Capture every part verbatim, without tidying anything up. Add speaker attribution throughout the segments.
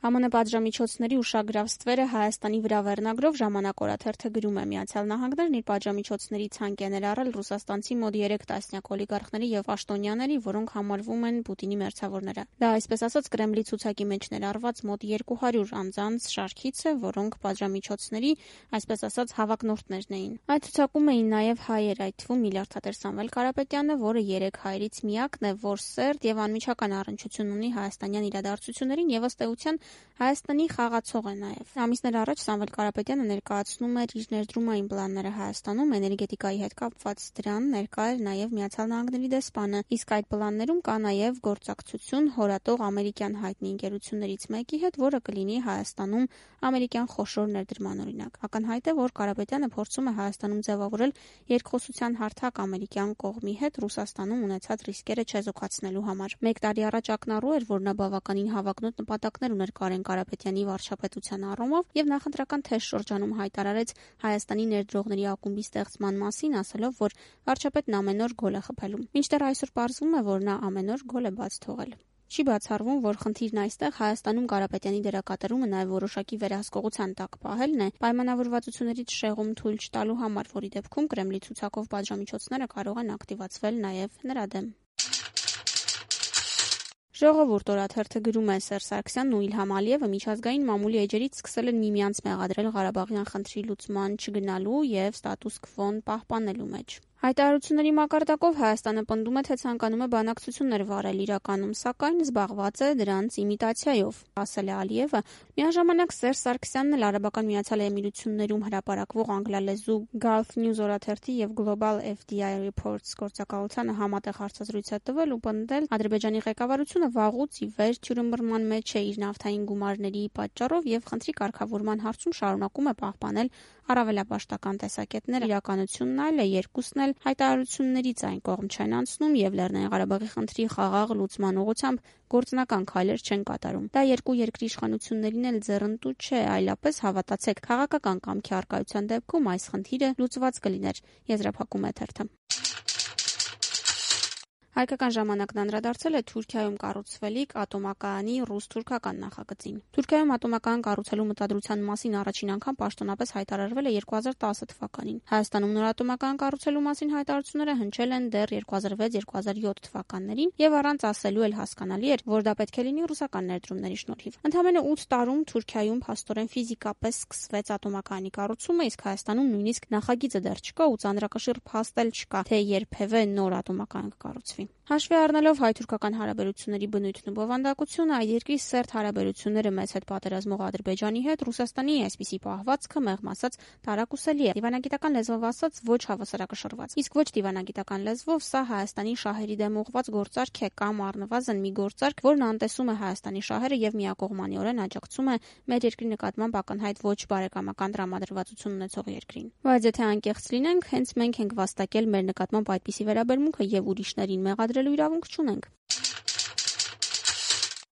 Speaker 1: Է Մ Ն պատժամիջոցների ուշագրավ ստվերը Հայաստանի վրա վերնագրով «Ժամանակ» օրաթերթը գրում է. «Միացյալ Նահանգներն իր պատժամիջոցների ցանկ է ներառել ռուսաստանցի մոտ երեք տասնյակ օլիգարխների եւ պաշտոնյաների, որոնք համարվում են Պուտինի մերձավորները։ Դա այսպես ասած Կրեմլի ցուցակի մեջ ներառված մոտ երկու հարյուր անձանց շարքից է, որոնք պատժամիջոցների, այսպես ասած, հավակնորդներն էին։ Այդ ցուցակում էին նաեւ հայեր, այդ թվում միլիարդատեր Սամվել Կարապետյանը, որը երեք հայերից միակն է, որ սերտ եւ անմիջական առնչություն ունի հայաստանյան իրադարձություններին եւ ըստ էության Հայաստանի խաղացող է նաեւ։ Ամիսներ առաջ Սամվել Կարապետյանը ներկայացնում էր իր ներդրումային պլանները Հայաստանում, էներգետիկայի հետ կապված դրան ներկա էր նաեւ Միացյալ Նահանգների դեսպանը, իսկ այդ պլաններում կա նաեւ գործակցություն հորատող ամերիկյան հայտնի ընկերություններից մեկի հետ, որը կլինի Հայաստանում ամերիկյան խոշոր ներդրման օրինակ։ Ակնհայտ է, որ Կարապետյանը փորձում է Հայաստանում ձևավորել երկխոսության հարթակ ամերիկյան կողմի հետ Ռուսաստանում ունեցած ռիսկերը չեզոքացնելու համար։ Մեկ տարի առաջ ակնառու էր, որ նա բավականին հավակնոտ նպատակներ ուներ Կարեն Կարապետյանի վարչապետության առումով եւ նախընտրական թեժ շրջանում հայտարարեց Հայաստանի ներդրողների ակումբի ստեղծման մասին, ասելով, որ վարչապետն ամեն օր գոլ է խփելու։ Մինչդեռ այսօր պարզվում է, որ նա ամեն օր գոլ է բաց թողել։ Չի բացառվում, որ խնդիրն այստեղ Հայաստանում Կարապետյանի դերակատարումը նաև որոշակի վերահսկողության տակ պահելն է, պայմանավորվածություններից շեղում թույլ չտալու համար, որի դեպքում Կրեմլի ցուցակով պատժամիջոցները կարող են ակտիվացվել նաև նրա դեմ։ Ժողովուրդ օրաթերթը գրում է. Սերժ Սարգսյանն ու Իլհամ Ալիևը միջազգային մամուլի էջերից սկսել են միմյանց մեղադրել Ղարաբաղյան խնդրի լուծման չգնալու եւ ստատուս քվոն պահպանելու մեջ։ Հայտարարությունների մակարդակով Հայաստանը պնդում է, թե ցանկանում է բանակցություններ վարել, իրականում սակայն զբաղված է դրանց իմիտացիայով, ասել է Ալիևը։ Միաժամանակ Սերժ Սարգսյանն էլ Արաբական Միացյալ Էմիրություններում հրապարակվող անգլալեզու Gulf News օրաթերթի եւ Global F D I Reports գործակալությանը համատեղ հարցազրույց է տվել ու պնդել Ադրբեջանի ղեկավարությունը վաղուց ի վեր թյուրըմբռնման մեջ է իր նավթային գումարների պատճառով եւ խնդրի կարգավորման հարցում շարունակում է պահպանել առավելապաշտական տեսակետներ, իրականությունն այլ է, երկուսն էլ հայտարարություններից այն կողմ չեն անցնում եւ Լեռնային Ղարաբաղի խնդրի խաղաղ լուծման ուղղությամբ գործնական քայլեր չեն կատարում։ Դա երկու երկրի իշխանություններին էլ ձեռնտու չէ, այլապես հավատացեք, քաղաքական կամքի առկայության դեպքում այս խնդիրը լուծված կլիներ, եզրափակում է թերթը։ Հայկական ժամանակն անդրադարձել է Թուրքիայում կառուցվելիք ատոմակայանի ռուս-թուրքական նախագծին։ Թուրքիայում ատոմակայան կառուցելու մտադրության մասին առաջին անգամ պաշտոնապես հայտարարվել է երկու հազար տասը թվականին։ Հայաստանում նոր ատոմակայան կառուցելու մասին հայտարարությունները հնչել են դեռ երկու հազար վեց երկու հազար յոթ թվականներին եւ առանց ասելու էլ հասկանալի էր, որ դա պետք է լինի ռուսական ներդրումների շնորհիվ։ Ընդամենը ութ տարում Թուրքիայում փաստորեն ֆիզիկապես սկսվեց ատոմակայանի կառուցումը, իսկ Հայաստանում նույնիսկ նախագիծը դեռ չկա ու ծանրակշիռ փաստ էլ չկա, թե երբևէ նոր ատոմակայան կկառուցվի։ Հաշվի առնելով հայ-թուրքական հարաբերությունների բնույթն ու բովանդակությունը, այդ երկրի սերտ հարաբերությունները մեծ հետ պատերազմող Ադրբեջանի հետ, Ռուսաստանի այսպիսի պահվածքը մեղմ ասած տարակուսելի է, դիվանագիտական լեզվով ասած ոչ հավասարակշռված։ Իսկ ոչ դիվանագիտական լեզվով սա Հայաստանի շահերի դեմ ուղղված գործարք է կամ առնվազն մի գործարք, որն անտեսում է Հայաստանի շահերը եւ միակողմանիորեն աջակցում է մեր երկրի նկատմամբ ակնհայտ ոչ բարեկամական տրամադրվածություն ունեցող երկրին։ Բայց եթե անկեղծ լինենք, հենց մենք ենք վաստակել մեր նկատմամբ այդպիսի վերաբերմունքը եւ ուրիշներին մեղադրելու իրավունք չունենք։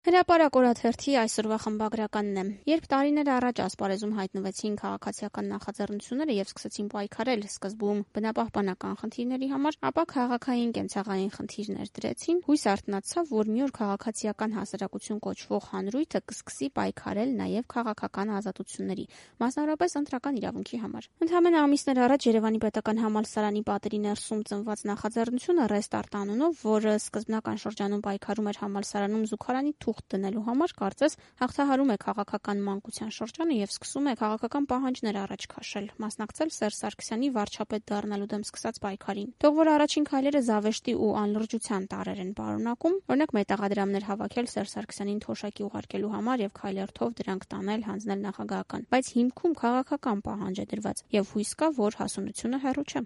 Speaker 1: Հրապարակ օրաթերթի այսօրվա խմբագրականն է. Երբ տարիներ առաջ ասպարեզում հայտնվեցին քաղաքացիական նախաձեռնությունները եւ սկսեցին պայքարել սկզբում բնապահպանական խնդիրների համար, ապա քաղաքային կենցաղային խնդիրներ դրեցին, հույս արթնացավ, որ մի օր քաղաքացիական հասարակություն կոչվող հանրույթը կսկսի պայքարել նաեւ քաղաքական ազատությունների, մասնավորապես ընտրական իրավունքի համար։ Ընդամենը ամիսներ առաջ Երևանի պետական համալսարանի պատերի ներսում ծնված նախաձեռնությունը Restart անունով, որը սկզբնական շրջանում պայքարում էր համալսարանում զուգարանի թուղթ դնելու համար, կարծես հաղթահարում է քաղաքական մանկության շրջանը եւ սկսում է քաղաքական պահանջներ առաջ քաշել, մասնակցել Սերժ Սարգսյանի վարչապետ դառնալու դեմ սկսած պայքարին։ Թող որ առաջին քայլերը զավեշտի ու անլրջության տարեր են պարունակում, օրինակ մետաղադրամներ հավաքել Սերժ Սարգսյանին թոշակի ուղարկելու համար եւ քայլերթով դրանք տանել, հանձնել նախագահական, բայց հիմքում քաղաքական պահանջ է դրված եւ հույս կա, որ հասունությունը հեռու չէ։